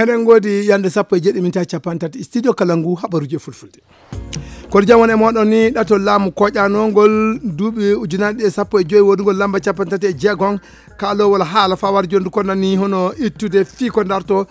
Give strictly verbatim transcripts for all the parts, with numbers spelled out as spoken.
Eɗen ngoodi yande sappo e jeeɗi minti capanɗe tati, studio kala ngu habaruji e fulfulde. Kono jam won e moɗon ni, ɗato laamu koƴanongol duuɓi ujunaaji ɗiɗi e sappo e joy, woodugol lamba capanɗe tati e jeegom, kaalowol haala fawar jondu ko nani hono ittude fii ko darto,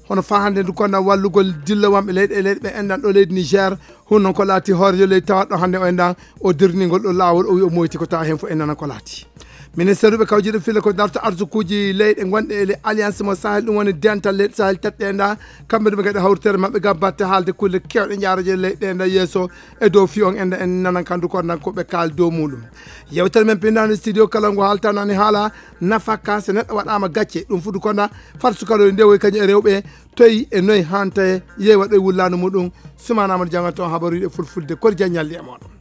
hono faa hannde ndu ko na wallugol dillowamɓe leyɗe e leyɗe ɓe enɗan ɗo leydi Niger. Hun noon ko laati hoorejo leydi tawaɗo hannde o enɗan, o dirningol ɗo laawol, o wi o moyti ko tawa heen fof en nana ko laati. Ministeeruɓe kawjiiɗo filla ko darto arsukuuji leyɗe gonɗe e le alliance mo Sahel, ɗum woni dental leyɗe Sahel tati ɗe nda, kamɓe ɗum ɓe gaɗa hawritere maɓɓe ngam batte haalde kulle kewɗe jaaroje leyɗe ɗe nda yeeso e dow fi on enda en nanan kandu ko nan ko ɓe kaal dow muɗum. Yewtere men pinnaande studio kala ngo haaltanani haala nafaka so neɗɗo waɗama gacce, ɗum fuɗu ko nda fat sukaloy ndewoy kañum e rewɓe toyi e noy hanta yeewa ɗoy wullaandu muɗum. Sumana Amadou Diamanto habaruji e fulfulde kori jaññalli e moɗon.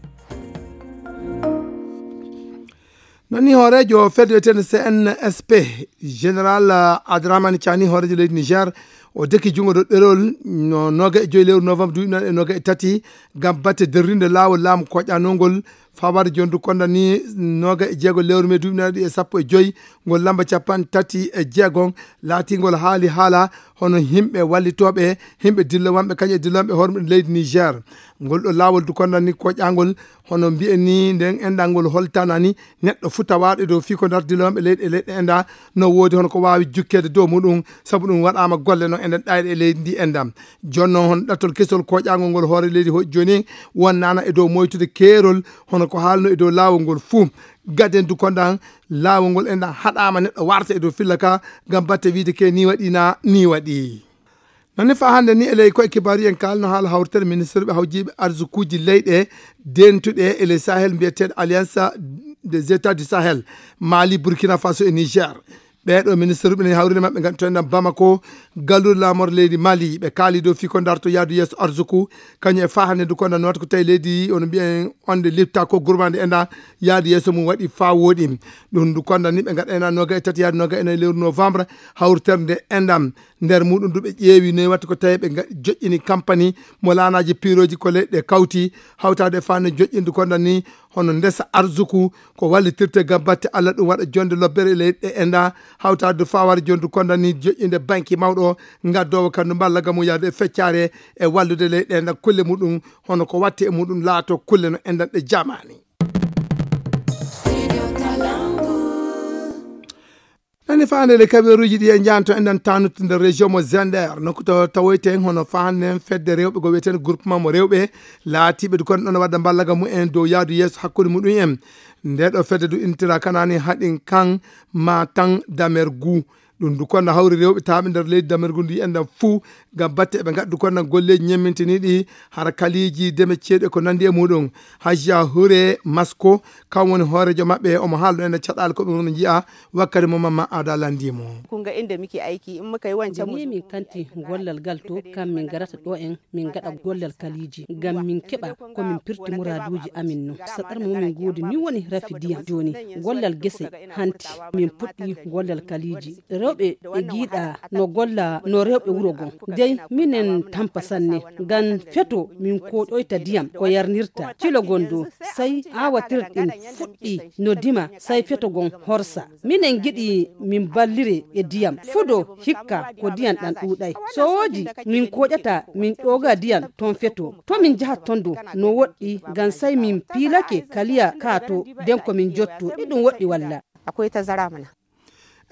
Noon ni hooreejo fedde wiyeteende C N S P, Général, ah, Abdourahmane Tiani, hooreejo leydi Niger, o deki junngo ɗo ɗerol no nooga e joyi lewru novembre duuɓi nayi e nooga e tati, ngam batte derrinde laawol laamu koƴanongol, fawaade jondu konda ni nooga e jeego lewru me duuɓi nayi e sappo e joyi, ngol lamba capanɗe tati e jeegom, laatingol haali haala hono yimɓe wallitooɓe, yimɓe dillowanɓe, kañum e dillowanɓe hormɓe leydi Niger. Ngol ɗo laawol du konda ni koƴangol, hono mbiyen ni, nden enɗan ngol holtanani neɗɗo fuu tawaaɗo e dow fii ko dartidinooɓe leyɗe e leyɗe enɗa, no woodi hono ko waawi jukkeede dow muɗum, sabu ɗum waɗaama golle no enɗan ɗayɗe e leydi ndi enɗan. Jooni noon, hono ɗattol kesol koƴaangol ngol hoore leydi hoƴi jooni, wonnaana e dow moytude keerol, hono ko haalno e dow laawol ngol fuu. Gaden du kondan, laawol ngol enɗan haɗaama neɗɗo warta e dow filla ka, ngam batte wiide ke ni waɗi na ni waɗi. Noon ne faa hannde ni, e ley koye kibaaru en kaalno haala hawritere ministirɓe hawjiiɓe arsukuuji leyɗe dentuɗe e ley Sahel, mbiyeteeɗo Alliance des États du Sahel, Mali, Burkina Faso e Niger. Ɓeeɗo ministirɓe ne hawrinde maɓɓe ngaddutoɗen Bamako, galluɗo laamor leydi Mali, ɓe kaali dow fii ko darto yaadu yeeso arsuku, kañum e faa hannde ndu ko nda noota ko tawi leydi, ono mbiyen onde lifta ko gurmande e nda yaadu yeeso mum waɗi faa wooɗi. Ɗum ndu konda ni ɓe ngaɗa ena nooga e tati yaadu nooga e nayi lewru novembre, hawritere nde enɗan. Nder muɗum du ɓe ƴeewi noy watta ko tawi ɓe nga-, joƴƴini kampani mo laanaaji piirooji ko leyɗe kawti, hawtaade e faande joƴƴindu konda ni hono ndesa arsuku ko wallitirte ngam batte Allah ɗum waɗa jonde lobbere e leyɗe enɗa, hawtaade du faware jondu konda ni joƴƴinde banki mawɗo ngaddoowo kandu mballa gamu yaade e feccare e wallude leyɗe enɗa kulle muɗum hono ko watti e muɗum laato kulle no enɗan ɗe jamaani. Nani faande le kaɓeeruuji ɗi e njanto enɗan tanut nder région mo Zender, nokku to tawoyten hono faande fedde rewɓe go wiyeten groupement mo rewɓe laatiiɓe du kon ɗon wadda mballaga mumen dow yaadu yeeso hakkunde muɗum en. Nde ɗo fedde du intira kanani haɗin kan ma tan damergu. Ɗum du kon na hawri rewɓe taaɓe nder leydi damergu ndi enɗan fuu ngam batte ɓe ngaddu kon na golleeji ñemmintiniiɗi hara kaliiji deme ceeɗu e ko nandi e muɗum. Hajja Hure Masko, kan woni hooreejo maɓɓe, omo haaldo en e caɗaali ko ɓe woni njiya wakkati mo Mamma Ada landi mo. Kun ga inda muke aiki, in muka yi wancan Ni min kanti gollal gal to, kam min garata ɗo en, min gaɗa gollal kaliiji, ngam min keɓa ko min pirti muraaduuji amin no. Saɗar mo min ngoodi ni woni rafi diyam. Jooni, gollal gese hanti, min puɗɗi gollal kaliiji. Rewɓe ɓe giiɗa no golla no rewɓe wuro gon. Dey minen tampa sanne, ngam feto min koɗoyta diyam ko yarnirta. Cilo gon dow, sey aawatirɗin fuɗɗi no dima, sey feto gon horsa. Minen ngiɗi min ballire e diyam. Fudo hikka ko diyam ɗan ɗuuɗay. So woodi, min koƴata, min ƴooga diyam ton feto. To min jahat ton dow, no woɗɗi, ngam sey min piilake kaliya ka to, den ko min jotto. Iɗum woɗɗi walla? Akwai tazara mana.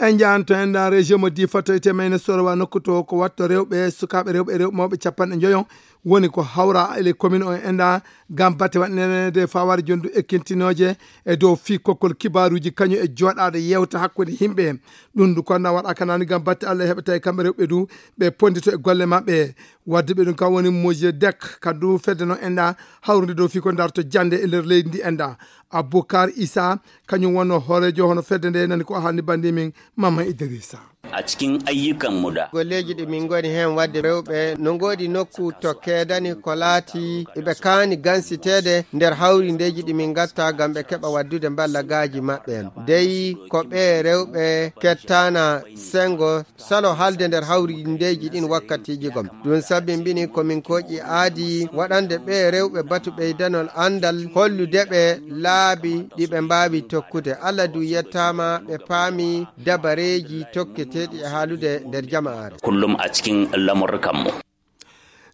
En njahanto en ɗan région mo Difa to ete Mayna Sorowa nokku to ko watto rewɓe, sukaaɓe rewɓe e rewɓe mawɓe capanɗe njoyo woni ko hawra e les communes on enɗa ngam batte waɗneede fawaade jondu ekkintinooje e dow fii kokkol kibaaruuji kañum e jooɗaade yewta hakkunde yimɓe. Ɗum du konda waɗa kanani ngam batte Allah heɓa tawi kamɓe rewɓe du ɓe pondito e golle maɓɓe. Wadde ɓe ɗum kam woni Mojedek, kandu fedde no enɗa hawrude dow fii ko darto jande e nder leydi ndi enɗa. Abubakar Isa, kañum wonno hooreejo hono fedde nde, nani ko haalni banndimin Mama Idrissa. A cikin ayyukanmu da. Golleeji ɗi min ngoni heen waɗde rewɓe no ngoodi nokku to keedani ko laati iɓe kaani gansiteede nder hawrindeeji ɗi min ngatta ngam ɓe keɓa waddude mballagaaji maɓɓe en. Dey ko ɓe rewɓe kettaana senngo salo haalde nder hawrindeeji ɗin wakkatiiji gom. Ɗum sabimbini ko min kooƴi aadi waɗande ɓe rewɓe batu ɓeydanol anndal, hollude ɓe laabi ɗi ɓe mbaawi tokkude. Allah du yettaama ɓe paami dabareeji tokki Teeɗi e haalude nder jamaare. Kullum a cikin lamurrukanmu.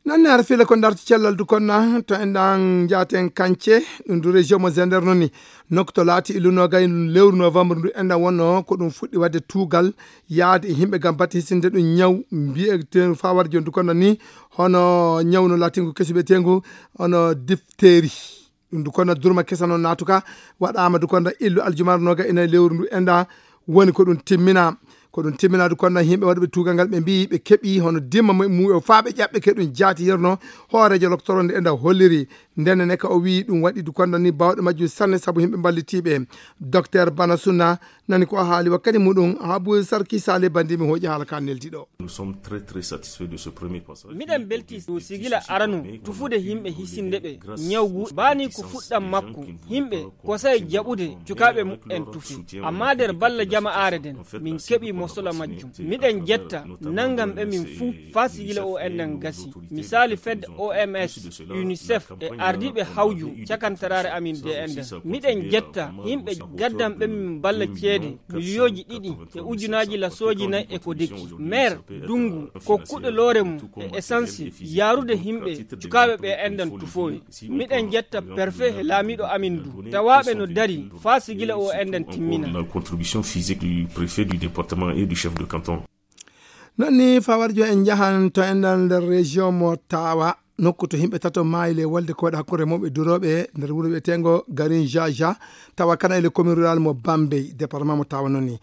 Nan ne har fila ko ndarto cellal du konna to en ɗan jaaten kance ɗum du région mo Zender noon ni. Nokto laati ilunogay lewru novembre ndu en ɗan wonno ko ɗum fuɗɗi waɗde tuugal yaade e yimɓe ngam batte hisinde ɗum ñaw mbiyeteeɗo fawar joni du konna ni hono ñaw no laatingu kesu ɓetengu hono diphtérie. Ɗum du konna durma kesa noon naatuka waɗaama du konna illu aljumar noga ina lewru ndu en ɗan woni ko ɗum timmina. Ko ɗum timminaa du konna yimɓe waɗuɓe tuugal ngal ɓe mbiyi ɓe keɓi hono dimma mu- muɓe faa ɓe ƴaɓɓe ke ɗum jaati yerno hooreejo loktoro nde enda holliri. Ndenne ne ka o wiyi ɗum waɗi du konna ni bawɗe majjum sanne sabu yimɓe mballitiiɓe. Docteur Bana Sunna nani ko o haali wakkati muɗum. Habu Sarki Sale bandi mi hooƴi haala ka neldi ɗo. Nous sommes très, très satisfaits de ce premier passage. Miɗen belti dow sigila aranu tufude yimɓe hisinde ɓe ñawgu baani ko fuɗɗam makko. Yimɓe kosay jaɓude cukaaɓe muɓɓen tufi. Amma nder balla jama'aare nden, min keɓi mosola majjum. Miɗen jetta nanngam ɓe min fuu faa sigila o enɗan gasi. Misaali fedde O M S, UNICEF e ardiiɓe hawju cakantaraare amin D N D. Miɗen jetta yimɓe gaddan ɓe min balla ceede miliyooji ɗiɗi e ujunaaji lasooji nayi e ko deki. Maire Dungu kokkuɗo loore mum e essence yaarude yimɓe cukaaɓe ɓe enɗan tufowe. Miɗen jetta préfet e laamiiɗo amin du tawaaɓe no dari faa sigila o enɗan timmina. La contribution physique du préfet du département et du chef de canton. Noon ni fawar jo en njahan to enɗan nder région mo Tawa nokku to yimɓe tato maayi le wolde ko waɗi hakkunde remooɓe durooɓe nder wuro wiyeteengo Garin Jaja tawa kana ele commune rural mo Bambey département mo Tawa noon ni.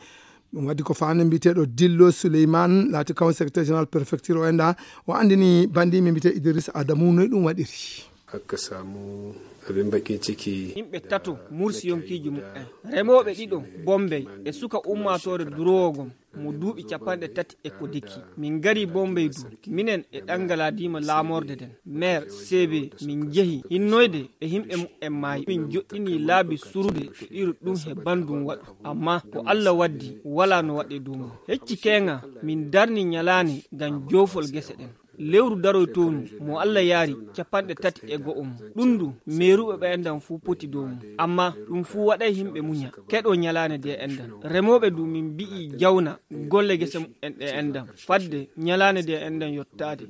Ɗum waɗi ko faande mbiyeteeɗo Dillo Souleymane laati kawon secrétaire général préfecture o enɗa o anndini bandi mi mbiyetee Idriss Adamu noy ɗum waɗiri. Hakka samu abin bakin ciki. Yimɓe tato mursi yonkiiji muɓɓen. Remooɓe ɗiɗo Bombey e suka ummaatoore duroowo gom mo duuɓi capanɗe tati e ko deki. Min ngari Bombey du minen e ɗangaladiima laamorde nden. Maire C B min njehi hinnoyde e yimɓe muɓɓen maayi. Min joɗɗini laabi surude to iru ɗum he bandum waɗu. Amma ko Allah waddi walaa no waɗe dow mum. Hecci keenga min darni ñalaane ngam joofol gese ɗen. Lewru daroytonu mo Allah yaari capanɗe tati e go'o mum. Ɗum du meeruɓe ɓe enɗan fuu poti dow mum. Amma ɗum fuu waɗay yimɓe muña keɗo ñalaane de enɗan. Remooɓe du min mbi'i jawna golle gese muɓɓen ɗe enɗan fadde ñalaane de enɗan yottaade.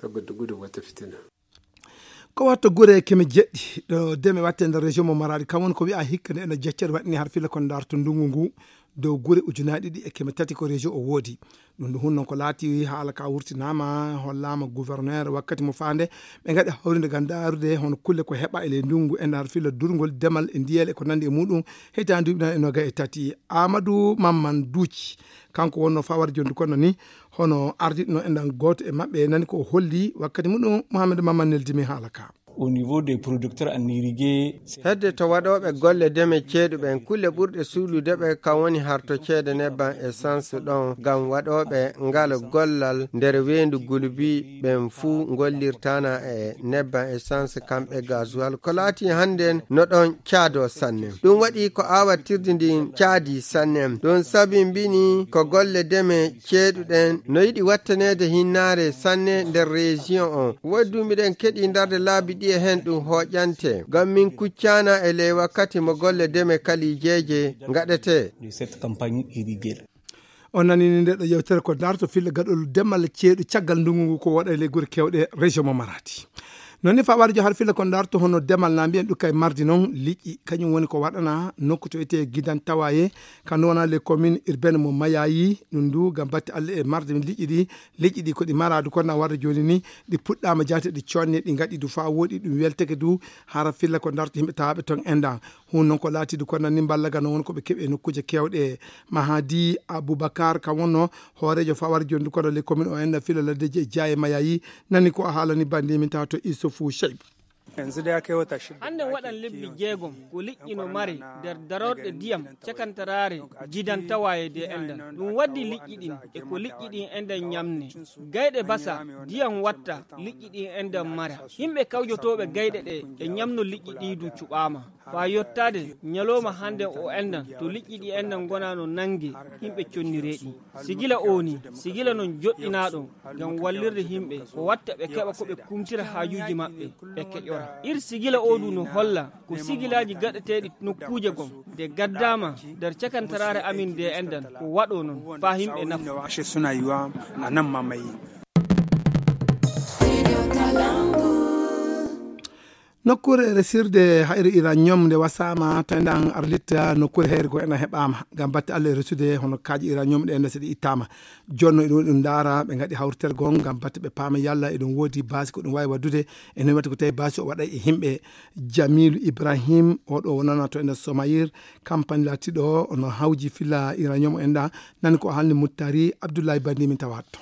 Ko watto gure keme jeɗɗi ɗo deme watte nder région mo Maradi kam woni ko wi'a hikka nde ena jeccere waɗini har fila kon darto ndungu ngu dow gure ujunaaji ɗiɗi e keme tati ko région o woodi. Ɗum ɗo hun noon ko laati haala ka wurtinaama hollaama gouverneur wakkati mo faande ɓe ngaɗi hawrinde ngam daarude hono kulle ko heɓa e ley ndungu e nder fila durngol demal e ndiyel e ko nandi e muɗum heytaani duuɓi nan e noga e tati. Amadou Mamman Duuci kanko wonno fawar jondu kono ni hono ardiɗo no e ndan gooto e maɓɓe nani ko holli wakkati muɗum Mohamed Mamman neldimi haala ka. Au niveau des producteurs en irrigué. Hedde to waɗooɓe golle deme ceeɗu ɓen kulle ɓurɗe suulude ɓe kan woni harto ceede nebban essence ɗon ngam waɗooɓe ngal gollal nder weendu gulubi ɓen fuu ngollirtana e nebban essence kamɓe gasoil ko laati hannden no ɗon caado sanne. Ɗum waɗi ko awatirdi ndin caadi sanne. Ɗum sabimbini ko golle deme ceeɗuɗen no yiɗi wattaneede hinnaare sanne nder région on. Woodi du miɗen keɗi ndarde laabi ɗiye hen ɗum hooƴante. Ngam min kuccaana e ley wakkati mo golle deme kalijeeje ngaɗetee. De cette campagne irriguée. On nanini nde ɗo yewtere ko darto filla gaɗol demal ceeɗu caggal ndungu ngu ko waɗa e ley gure kewɗe région mo Maradi. Noon ni fawaade jo har filla ko darto hono demal na mbiyen ɗum kay mardi noon liƴƴi kañum woni ko waɗana nokku to etee gidan tawaye ka ndu wona les communes urbaines mo Mayayi ɗum ndu ngam batte Allah e marde liƴƴi ɗi. Liƴƴi ɗi ko ɗi maraadu kono na warde jooni ni ɗi puɗɗaama jaate ɗi conne ɗi ngaɗi du faa wooɗi ɗum welteke du hara filla ko darto yimɓe tawaaɓe toon enɗan. Hun noon ko laatiidu kono ni mballagano won ko ɓe keɓi e nokkuuje keewɗe. Mahadi Aboubacar kam wonno hooreejo fawar jondu kono les communes o enɗan fila laddeji e jaaye Mayayi nani ko a haalani bandi min tawa to Issoufou Cheyb. Hannde waɗan lebbi jeegom ko liƴƴi no mare nder darorɗe ndiyam cakantaraare jidan tawa e de enɗan. Ɗum waddi liƴƴi ɗin e ko liƴƴi ɗin enɗan ñamne. Gayɗe basa ndiyam watta liƴƴi ɗin enɗan mara. Yimɓe kawjotooɓe gayɗe ɗe e ñamno liƴƴi ɗi du cuɓaama. Faa yottaade ñalooma hannde o enɗan to liƴƴi ɗi enɗan ngonaa no nannge yimɓe conniree ɗi. Sigila oo ni, sigila non joɗɗinaaɗo ngam wallirde yimɓe ko watta ɓe keɓa ko ɓe kumtira haajuuji maɓɓe ɓe keƴora. Ir sigila oo du no holla ko sigilaaji gaɗeteeɗi nokkuuje gom de gaddaama nder cakantaraare amin nde enɗan ko waɗo noon faa himɓe nafa. Nokkuure resirde hayre uranium nde wasaama to enɗan arlitta nokkuure hayre goo enɗan heɓaama ngam batte Allah e resude hono kaaƴe uranium ɗe enɗan so ɗi ittaama. Jonno eɗum ɗum ndaara ɓe ngaɗi hawritergol ngam batte ɓe paama yalla eɗum woodi baasi ko ɗum waawi waɗdude e noon waɗi ko tawi baasi o waɗa e yimɓe. Jamilu Ibrahim oɗo wonana to enɗan Somayir, kampani laatiɗo ono hawji filla uranium enɗan. Nani ko haalni Muttari Abdullahi Bandi min tawaat to.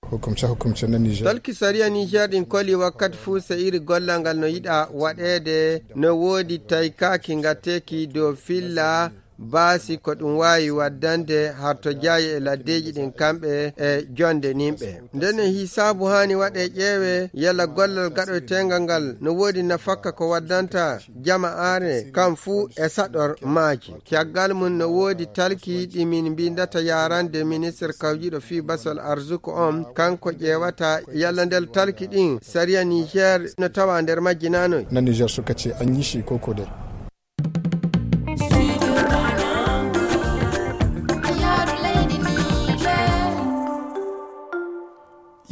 Hukumce hukumce na Niger. Talki sariya Niger ɗin koli wakkati fuu sa'iri gollal ngal no yiɗa waɗeede no woodi taykaaki ngateeki dow filla baasi ko ɗum waawi waddande harto jaayi e laddeeji ɗin kamɓe e jonde nimɓe. Ndenne hisaabu haani waɗe ƴeewe yalla gollal gaɗoyteengal ngal no woodi nafakka ko waddanta jama'aare kam fuu e saɗor maaji. Caggal mum no woodi talki ɗi min mbindata yarande ministre kawjiɗo fii basol arzuku on, kanko ƴeewata yalla ndel talki ɗin sariya Niger no tawa nder majji naa noy. Na Niger suka ce an yi shi koko dai.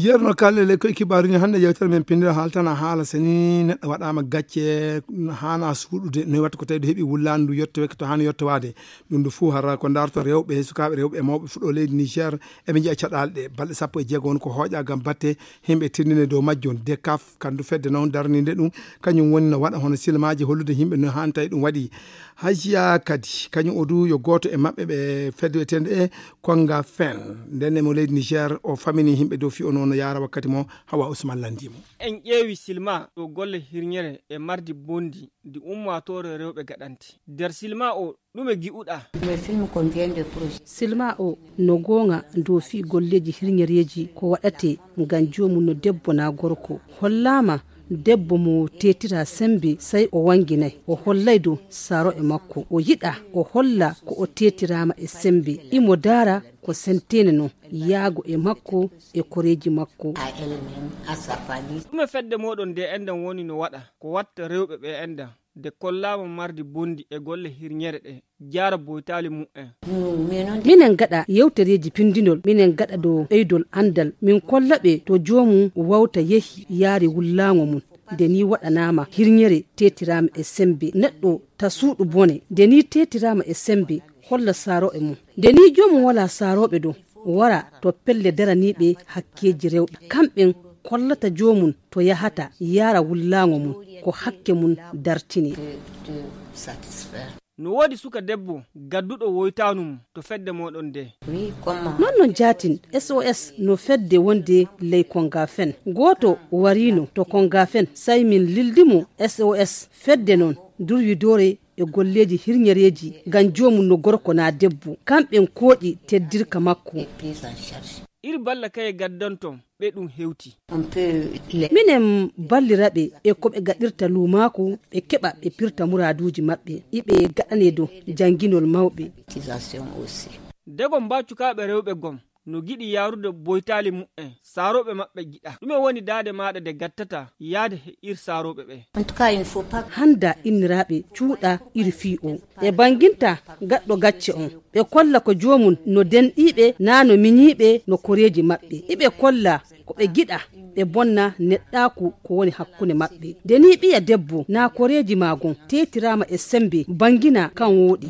Yeru no kalle le koy kibaaru ni hannde yewtere men pinndira haaltana haala so ni neɗɗo waɗaama gacce haana suuɗude no watta ko tawi ɗo heɓi wullaandu yettoweeke to haana yettowaade. Ɗum ɗo fof hara ko ndaarto rewɓe, sukaaɓe rewɓe e mawɓe fuɗɗo leydi Niger eɓe njiya caɗaale ɗe. Balɗe sappo e jeego won ko hooƴa ngam batte himɓe tindine dow majjo. De kaf kandu fedde noon darninde ɗum kañum woni no waɗa hono silmaaji hollude yimɓe no haani tawi ɗum waɗi. Hajiya kadi kañum o du yo gooto e maɓɓe ɓe fedde wiyeteende e Konga Fen. Nden e mo leydi Niger o famini yimɓe dow fii o noon no yaara wakkati mo Hawa Usman lanndii mo. En ƴeewi silma ɗo golle hirñere e mardi bondi ndi ummaatoore rewɓe gaɗanti. Nder silma o ɗume gi'uɗaa? Silma o no goonga dow fii golleeji hirñereeji ko waɗatee ngam joomum no debbo naa gorko. Hollaama debbo mo teetiraa semmbe sey o wannginay. O hollay dow saaro e makko. O yiɗaa o holla ko o teetiraama e semmbe. Imo daara ko senteene non yaago e makko e koreeji makko. Ɗume fedde mooɗon nde enɗan woni no waɗa ko watta rewɓe ɓe enɗan? De kollaama mardi bondi e golle hirñere ɗe jaara boytaali mu'en. Minen gaɗa yewtereeji pinndinol, minen gaɗa dow ɓeydol anndal, min kolla ɓe to joomum wawta yehi yaari wullaango mum. Nde ni waɗanaama hirñere teetiraama e semmbe neɗɗo ta suuɗu bone. Nde ni teetiraama e semmbe holla saarooɓe mum. Nde ni joomum walaa saarooɓe dow wara to pelle daraniiɓe hakkeeji rewɓe. Kamɓen kollata joomum to yahata yaara wullaango mum ko hakke mum dartini. No woodi suka debbo gadduɗo woytaanu mum to fedde mooɗon nde? Non non jaatin S O S no fedde wonde ley Konga Fen. Gooto wariino to Konga Fen sey min lildi mo S O S fedde non durwidoore e golleeji hirñereeji ngam joomum no gorko naa debbo. Kamɓen kooƴi teddirka makko. Ir balla kaye gaddanton ɓe ɗum hewti. Minen ballira ɓe e ko ɓe gaɗirta luumaaku ɓe keɓa ɓe pirta muraaduuji maɓɓe iɓe gaɗane dow jannginol mawɓe. Dego mbaa cukaaɓe rewɓe gom no giɗi yaarude boytaali mu'en saarooɓe maɓɓe giɗa. Ɗume woni daade maaɗa de gattata yaade he ir saarooɓe ɓe? Hannda inniraaɓe cuuɗa iri fii o. Ɓe bannginta gaɗɗo gacce on. Ɓe kolla ko joomum no denɗiiɓe naa no miñiiɓe no koreeji maɓɓe. Iɓe kolla ko ɓe giɗa ɓe bonna neɗɗaaku ko woni hakkunde maɓɓe. Nde ni ɓiya debbo naa koreeji maa gon teetiraama e semmbe banngina kan wooɗi.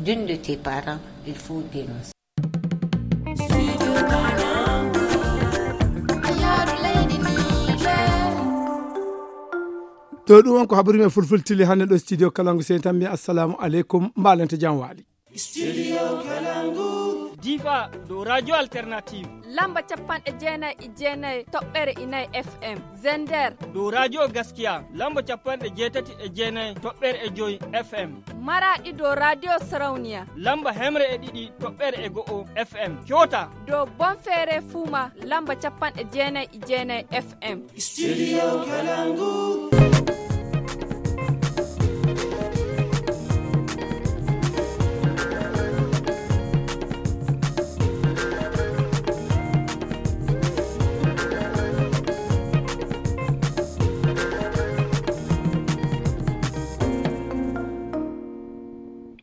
To ɗum on ko habaru men fulfultili hannde ɗo studio Kalangu sey tan mbiya assalamu aleykum mbaalante jam waali. Studio Kalangu. Difa dow radio alternative lamba capanɗe jeenayi e jeenayi toɓɓere inayi F M. Zender dow radio gaskiya lamba capanɗe jeetati e jeenayi toɓɓere e joyi F M. Maraɗi dow radio sarauniya lamba hemre e ɗiɗi toɓɓere e go'o F M. Coota dow bonfeere fuuma lamba capanɗe jeenayi e jeenayi F M. Studio Kalangu.